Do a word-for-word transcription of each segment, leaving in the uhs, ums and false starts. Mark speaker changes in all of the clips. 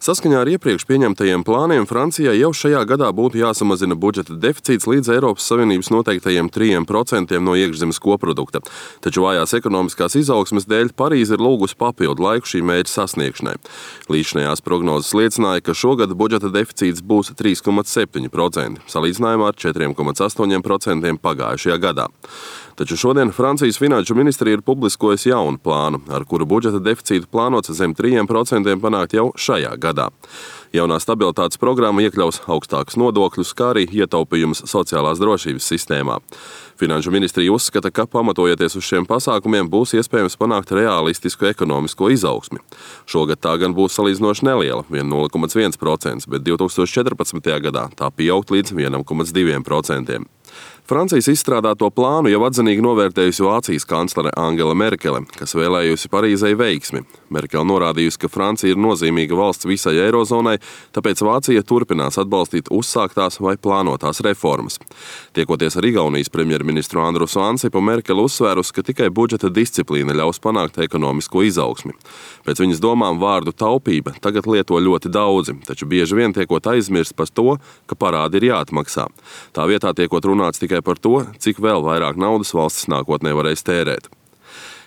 Speaker 1: Saskaņā ar iepriekš pieņemtajiem plāniem Francijai jau šajā gadā būtu jāsamazina budžeta deficīts līdz Eiropas Savienības noteiktajiem trim procentiem no iekšzemes koprodukta. Taču vājās ekonomiskās izaugsmes dēļ Parīze ir lūgusi papildu laiku šī mērķa sasniegšanai. Līdzinājās prognozes liecināja, ka šogad budžeta deficīts būs trīs komats septiņi procenti, salīdzinājumā ar četriem komats astoņiem procentiem pagājušajā gadā. Taču šodien Francijas finanšu ministrija ir publiskojusi jaunu plānu, ar kuru budžeta deficītu plānots zem trim procentiem panākt jau šajā gadā. Jaunā stabilitātes programma iekļaus augstākus nodokļus, kā arī ietaupījumus sociālās drošības sistēmā. Finanšu ministrija uzskata, ka pamatojoties uz šiem pasākumiem būs iespējams panākt realistisku ekonomisko izaugsmi. Šogad tā gan būs salīdzinoši neliela, vien nulle komats viens procents, bet divs tūkstoši četrpadsmitajā gadā tā pieaugt līdz viens komats divi procenti. Francijas izstrādāto plānu jau atzinīgi novērtējusi Vācijas kanclere Angela Merkele, kas vēlējusi Parīzei veiksmi. Merkele norādījusi, ka Francija ir nozīmīga valsts visai eirozonai, tāpēc Vācija turpinās atbalstīt uzsāktās vai plānotās reformas. Tiekoties ar Igaunijas premjerministru Andrusu Ansipu, Merkele uzsvērusi, ka tikai budžeta disciplīna ļaus panākt ekonomisko izaugsmi. Pēc viņas domām vārdu taupība tagad lieto ļoti daudzi, taču bieži vien tiekot aizmirst par to, ka parādi ir jāatmaksā. Tā vietā tiekot runāts tikai par to, cik vēl vairāk naudas valstis nākotnē varēs tērēt.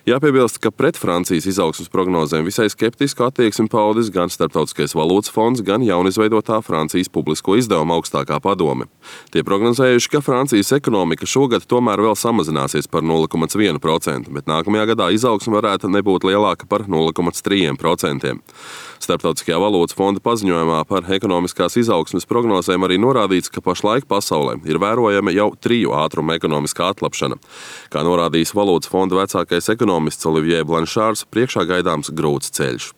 Speaker 1: Jāpiebilst, ka pret Francijas izaugsmes prognozēm visai skeptisku attieksmi paudis gan Starptautiskais valūtas fonds, gan jaunizveidotā Francijas publisko izdevumu augstākā padome. Tie prognozējuši, ka Francijas ekonomika šogad tomēr vēl samazināsies par nulle komats viens procents, bet nākamajā gadā izaugsme varētu nebūt lielāka par nulle komats trīs procenti. Starptautiskajā valūtas fonda paziņojumā par ekonomiskās izaugsmes prognozēm arī norādīts, ka pašlaik pasaulē ir vērojama jau triju ātrumu ekonomiskā atlapšana. Kā norādījis valūtas fonda vecākais ekonomists Olivier Blanchārs, priekšā gaidāms grūts ceļš.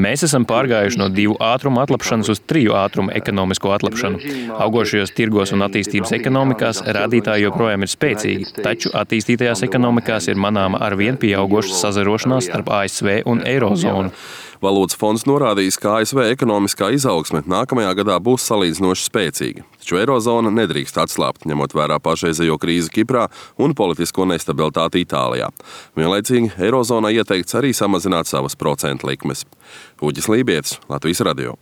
Speaker 2: Mēs esam pārgājuši no divu ātrumu atlapšanas uz triju ātrumu ekonomisko atlapšanu. Augošajos tirgos un attīstības ekonomikās rādītāji joprojām ir spēcīgi, taču attīstītajās ekonomikās ir manāma arvien pieaugoša sazarošanās starp A S V un Eirozonu.
Speaker 1: Valūtas fonds norādījis, ka A S V ekonomiskā izaugsme nākamajā gadā būs salīdzinoši spēcīga, taču Eirozona nedrīkst atslābt, ņemot vērā pašreizējo krīzi Kiprā un politisko nestabilitāti Itālijā. Vienlaicīgi Eirozonai ieteikts arī samazināt savas procentu likmes. Uģis Lībietis, Latvijas radio.